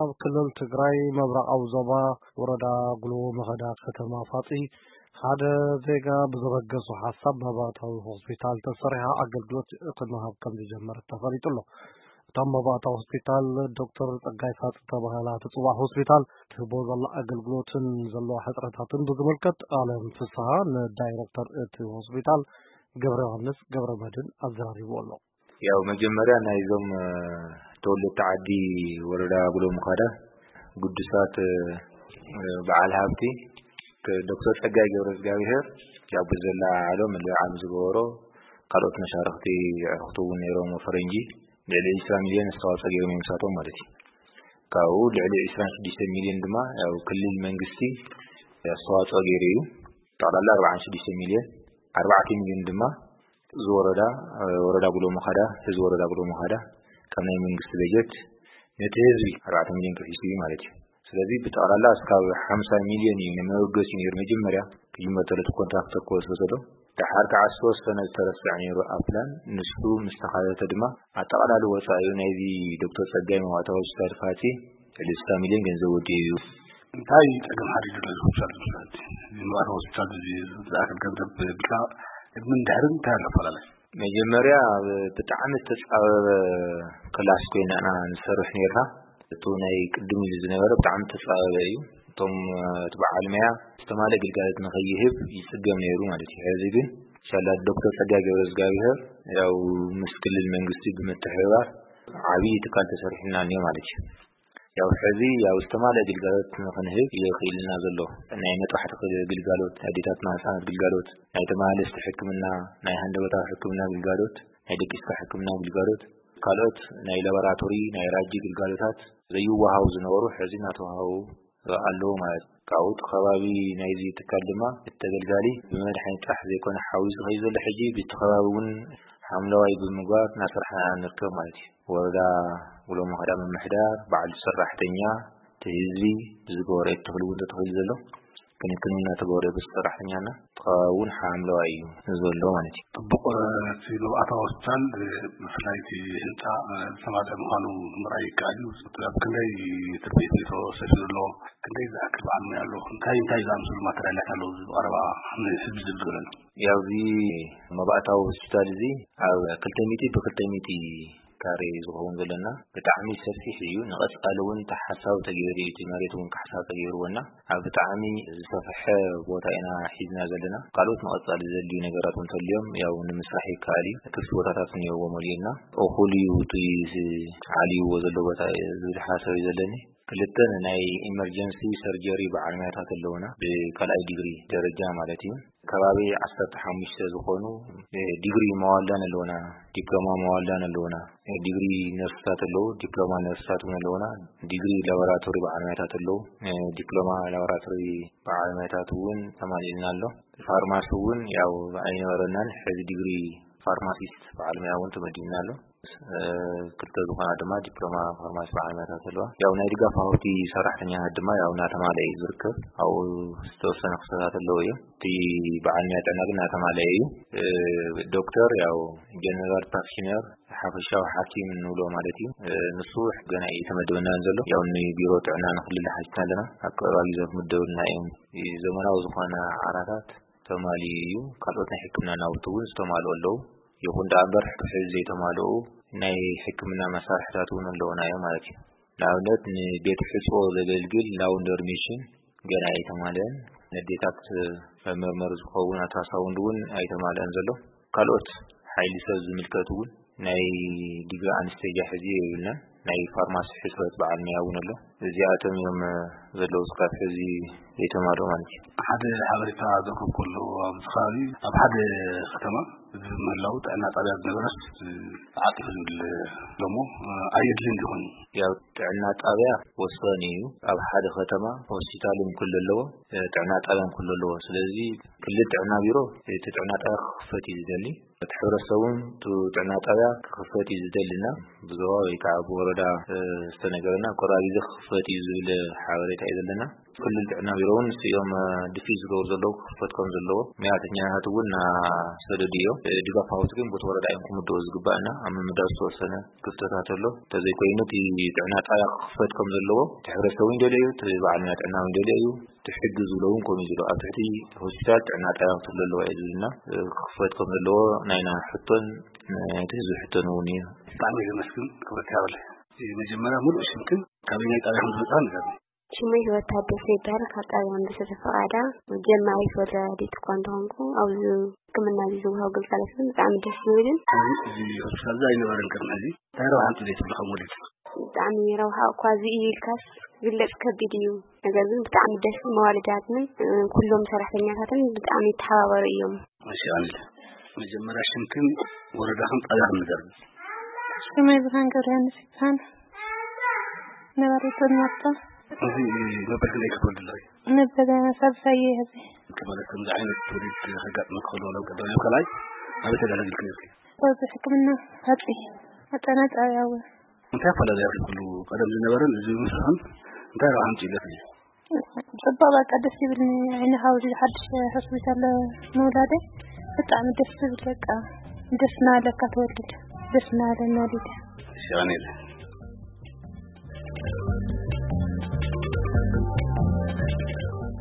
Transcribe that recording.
ኣብ ክልል ትግራይ ምብራቓዊ ዞባ ወረዳ ጉሎ መኸዳ ከተማ ፋፂ ሓደ ዜጋ ብዘበገሶ ሓሳብ መባእታዊ ሆስፒታል ተሰሪሓ ኣገልግሎት ክመሃብ ከም ዝጀመረት ተፈሊጡ ኣሎ። እታ መባእታዊ ሆስፒታል ዶክተር ጸጋይ ፋፂ ተባሂላ ትፅዋዕ ሆስፒታል ትህቦ ዘላ ኣገልግሎትን ዘለዋ ሕፅረታትን ብዝምልከት ኣለም ፍስሃ ንዳይረክተር እቲ ሆስፒታል ገብረ ዮሃንስ ገብረ መድን ኣዘራሪቡ ኣሎ። ያው መጀመርያ ናይዞም ተወለድቲ ዓዲ ወረዳ ጉሎ ምኻዳ ግዱሳት በዓል ሃብቲ ዶክተር ጸጋይ ገብረ እግዚኣብሔር ያው ብዘላ ዓሎ ምልዓም ዝገበሮ ካልኦት መሻርክቲ ኣዕሩኽቲ እውን ነይሮም ፈረንጂ ልዕሊ ዕስራ ሚልዮን ኣስተዋፅኦ ገይሮም እዮም ምሳቶም ማለት እዩ። ካብኡ ልዕሊ ዕስራን ሽዱሽተ ሚልዮን ድማ ያው ክልል መንግስቲ ኣስተዋፅኦ ገይሩ እዩ። ጠቕላላ ኣርባዓን ሽዱሽተ ሚልዮን ኣርባዕተ ሚልዮን ድማ እዚ ወረዳ ወረዳ ጉሎ መኻዳ ህዝቢ ወረዳ ጉሎ መኻዳ ካብ ናይ መንግስቲ በጀት ነቲ ህዝቢ ኣርባዕተ ሚልዮን ከፊሱ እዩ ማለት እዩ። ስለዚ ብጠቕላላ እስካብ ሓምሳ ሚልዮን እዩ ንመበገሲ ነይሩ መጀመርያ ክጅመር ተሎ እቲ ኮንትራክተር ክወስዶ ተሎ። ደሓር ከዓ ዝተወሰነ ዝተረስዐ ነይሩ ኣብ ፕላን ንሱ ምስ ተኻተተ ድማ ኣጠቓላሊ ወፃኢ ናይዚ ዶክተር ጸጋይ መባእታዊ ሆስፒታል ፋፂ ልዕሊ ስልሳ ሚልዮን ገንዘብ ወዲኡ እዩ። እንታይ ጸገም ሓዲሩ ነዚ ሆስፒታል ዝመስለት ምባል ሆስፒታል እዚ ዝኣክል ገንዘብ ብልካ ቅድምን ድሕርን እንታይ ኣሎ ኣፈላለይ? መጀመርያ ብጣዕሚ ዝተፃበበ ክላስ ኮይና ኢና ንሰርሕ ነርና። እቱ ናይ ቅድም ኢሉ ዝነበረ ብጣዕሚ ተፃበበ እዩ። እቶም እቲ በዓል መያ ዝተማለ ግልጋሎት ንኸይህብ ይፅገም ነይሩ ማለት እዩ። ሕዚ ግን ሻላ ዶክተር ፀጋ ገብረ እግዚኣብሔር ያው ምስ ክልል መንግስቲ ብምትሕብባር ዓብዪ ትካል ተሰሪሕና እኒኦ ማለት እዩ። ያው ሕዚ ያው ዝተማለ ግልጋሎት ንኽንህብ ይኽእልና ዘሎ ናይ መጥባሕቲ ግልጋሎት፣ ናይ ኣዴታትና ህፃናት ግልጋሎት፣ ናይ ተመላለስቲ ሕክምና፣ ናይ ሃንደበታዊ ሕክምና ግልጋሎት፣ ናይ ደቂስካ ሕክምና ግልጋሎት፣ ካልኦት ናይ ላቦራቶሪ ናይ ራጂ ግልጋሎታት ዘይወሃቡ ዝነበሩ ሕዚ እናተዋሃቡ ኣለዉ ማለት እዩ። ካብኡ እቲ ከባቢ ናይዚ ትካል ድማ እቲ ተገልጋሊ ብመድሓኒት ጥራሕ ዘይኮነ ሓዊሱ ከዩ ዘሎ ሕጂ ብቲ ከባቢ እውን ሓምለዋይ ብምግባር እናሰርሓ ንርከብ ማለት እዩ። ወረዳ ውሎ መኸዳ ምምሕዳር በዓል ሰራሕተኛ እቲ ህዝቢ ብዝገበረ ተኽሊ እውን ተተኺሉ ዘሎ ክንክን እውን እናተገበረ በቲ ሰራሕተኛና እቲ ከባቢ እውን ሓምለዋይ እዩ ዘሎ ማለት እዩ። ጥቡቕ እቲ መባእታዊ ሆስፒታል ብፍላይ እቲ ህንፃ ዝተማልአ ምዃኑ ምርኣይ ይከኣል እዩ። ኣብ ክንደይ ትርፊት ሜትሮ ሰፊሩ ኣሎ? ክንደይ ዝኣክል በዓል ሞያ ኣሎ? እንታይ እንታይ ዝኣምሰሉ ማተርያላት ኣለዉ? እዚ ብቐረባ ንህዝቢ ዝብል ዘሎ ያው እዚ መባእታዊ ሆስፒታል እዚ ኣብ ክልተ ሚእቲ ብክልተ ሚእቲ ካሬ ዝኸውን ዘለና ብጣዕሚ ሰፊሕ እዩ። ንቐፃሊ እውን ተሓሳብ ተገይሩ እቲ መሬት እውን ካሕሳ ተገይርዎና ኣብ ብጣዕሚ ዝሰፍሐ ቦታ ኢና ሒዝና ዘለና። ካልኦት ንቐፃሊ ዘድልዩ ነገራት እውን ተልዮም ያው ንምስራሕ ይከኣል እዩ። ክፍቲ ቦታታት እኒኦዎ መሊኡና እኹል እዩ እቲ ዓልይዎ ዘሎ ቦታ ዝብል ሓሳብ እዩ ዘለኒ። ክልተ ናይ ኢመርጀንሲ ሰርጀሪ በዓል ሞያታት ኣለውና ብካልኣይ ዲግሪ ደረጃ ማለት እዩ። ከባቢ ዓሰርተ ሓሙሽተ ዝኾኑ ዲግሪ መዋልዳን ኣለውና፣ ዲፕሎማ መዋልዳን ኣለውና፣ ዲግሪ ነርስታት ኣለዉ፣ ዲፕሎማ ነርስታት እውን ኣለውና፣ ዲግሪ ላቦራቶሪ በዓል ሞያታት ኣለዉ፣ ዲፕሎማ ላቦራቶሪ በዓል ሞያታት እውን ተማሊእልና ኣሎ። ፋርማሲ እውን ያው ኣይነበረናን፣ ሕዚ ዲግሪ ፋርማሲስት በዓል ሞያ እውን ተመዲብና ኣሎ። ክልተ ዝኾና ድማ ዲፕሎማ ፋርማሲ በዓል ሞያታት ኣለዋ። ያው ናይ ድጋፍ ሃውቲ ሰራሕተኛታት ድማ ያው እናተማልአ እዩ ዝርከብ። ኣብኡ ዝተወሰነ ክፍተታት ኣለዉ እዮም። እቲ በዓል ሞያ ጥዕና ግን እናተማልአ እዩ። ዶክተር ያው ጀነራል ፕራክቲሽነር ሓፈሻዊ ሓኪም እንብሎ ማለት እዩ። ንሱ ገና እዩ ተመደበና ዘሎ። ያው ንቢሮ ጥዕና ንክልል ሓቲትና ኣለና። ኣብ ቀረባ ግዜ ክምደበልና እዮም። ዘመናዊ ዝኾነ ዓራታት ተማሊኡ እዩ። ካልኦት ናይ ሕክምና ናውቲ እውን ዝተማልኡ ኣለዉ። ይኹን ደኣ እምበር ሕዚ ዘይተማልኡ ናይ ሕክምና መሳርሕታት እውን ኣለዉና እዮም ማለት እዩ። ንኣብነት ንቤት ሕፅቦ ዘገልግል ላውንደሪ ሚሽን ገና ኣይተማልአን። ነዴታት መመርመሪ ዝኸውን ኣልትራሳውንድ እውን ኣይተማልአን ዘሎ። ካልኦት ሓይሊ ሰብ ዝምልከት እውን ናይ ዲግሪ ኣንስቴጃ ሕዚ የብልናን። ናይ ፋርማሲ ሕፅበት በዓል መያ እውን ኣሎ። እዚኣቶም እዮም ዘለዉ ስካብ ሕዚ ዘይተማልኡ ማለት እዩ። ሓደ ሓበሬታ ዘንበብኩ ኣሎ ኣብዚ ከባቢ ኣብ ሓደ ከተማ እዚ ምህላው ጥዕና ጣብያ ዝነበረስ ተዓፂፉ ዝብል ኣሎ እሞ ኣየድልን ይኾን? ያው ጥዕና ጣብያ ወሳኒ እዩ። ኣብ ሓደ ከተማ ሆስፒታል እውን ክህሉ ኣለዎ፣ ጥዕና ጣብያ እውን ክህሉ ኣለዎ። ስለዚ ክልል ጥዕና ቢሮ እቲ ጥዕና ጣብያ ክኽፈት እዩ ዝደሊ። እቲ ሕብረተሰብ እውን ጥዕና ጣብያ ክኽፈት እዩ ዝደልና ብዞባ ወይ ከዓ ብወረዳ ዝተነገረና ቆራቢ ግዜ ክኽፈት እዩ ዝብል ሓበሬታ እዩ ዘለና። ክልል ጥዕና ቢሮ እውን ንስኦም ድፊ ዝገብሩ ዘለዉ ክኽፈት ከም ዘለዎ መያተኛታት እውን እናሰደዱ እዮም። ድጋፍ ሃውስ ግን ቦቲ ወረዳ እዮም ክምድቦ ዝግባእና ኣብ ምምዳብ ዝተወሰነ ክፍተታት ኣሎ። እንተዘይኮይኑ እቲ ጥዕና ጣብያ ክኽፈት ከም ዘለዎ እቲ ሕብረተሰብ እውን ይደልዮ እዩ፣ እቲ በዓልና ጥዕና እውን ይደልዮ እዩ። እቲ ሕጊ ዝብሎ እውን ከምኡ እዩ ዝሎ ኣብ ትሕቲ ሆስፒታል ጥዕና ጣብያ ክትህሉ ኣለዋ እዩ ዝብልና። ክኽፈት ከም ዘለዎ ናይና ሕቶን ናይቲ ህዝቢ ሕቶን እውን እዩ። ብጣዕሚ ዘመስግን ክብረት ያበለ። መጀመርያ ሙሉእ ሽምክን ካበይ ናይ ጣብያ ከም ዝመፅኣ ንገርኒ። ሽመይ ህይወት ታደሰ ይበሃል። ካብ ጣብያ ኣንበሳ ተፈቓዳ ጀማሪት ወላዲት እኳ እንተኾንኩ ኣብዚ ሕክምና እዚ ዝወሃብ ግልጋሎት ግን ብጣዕሚ ደስ ዝብልን። እዚ ሆስፒታል እዚ ኣይነበረን ቅድሚ ሕዚ። እንታይ ረብሓ ኣምፅኡ ትብሉ ከም ወሊድ? ብጣዕሚ ረብሓ እኳ እዚ እዩ ኢልካስ ግለፅ ከቢድ እዩ። ነገር ግን ብጣዕሚ ደስ፣ መዋልዳትን ኩሎም ሰራሕተኛታትን ብጣዕሚ ይተሓባበሩ እዮም። እሺ ኣንል፣ መጀመርያ ሽምክን ወረዳኽን ጣብያኽን ንገርኒ። ሽመይ ብርሃን ገብረሃንስ ይበሃል። ነባሪት ወልማርታ። እዚ መበል ክንደይ ክትወልዲ ኣለኺ? መበል ሳልሳይ እየ ሕዚ። ማለት ከምዚ ዓይነት ትውልድ ከጋጥመኪ ከሎ ናብ ቀዳማይ ካልኣይ ኣበይ ተዳለግልኪ ነርኪ? ኣብዚ ሕክምና ሃፂ ኣጠና ጣብያ እውን። እንታይ ኣፈላለያ ኩሉ ቀደም ዝነበረን እዚ ምስሕን እንታይ ረብሓ ኣምፅእለት እዩ? ፅቡቅ በቃ ደስ ይብልኒ። ዓይኒ ሓውዚ ሓድሽ ሆስፒታል ምውላደ ብጣዕሚ ደስ ዝብል በቃ ደስ እናበለካ ትወልድ ደስ እናበለና ወሊደ። እሺ ኣኔል